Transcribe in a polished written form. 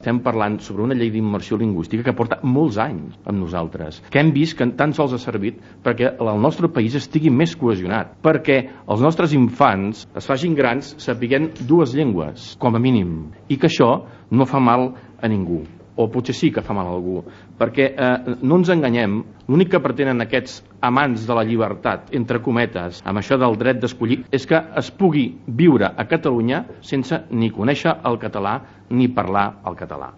estem parlant sobre una llei d'immersió lingüística que porta molts anys amb nosaltres, que hem vist que tan sols ha servit perquè el nostre país estigui més cohesionat, perquè els nostres infants es facin grans sapiguent dues llengües, com a mínim, i que això no fa mal a ningú. O potser sí que fa mal a algú, perquè no ens enganyem, l'únic que pretenen aquests amants de la llibertat, entre cometes, amb això del dret d'escollir, és que es pugui viure a Catalunya sense ni conèixer el català ni parlar el català.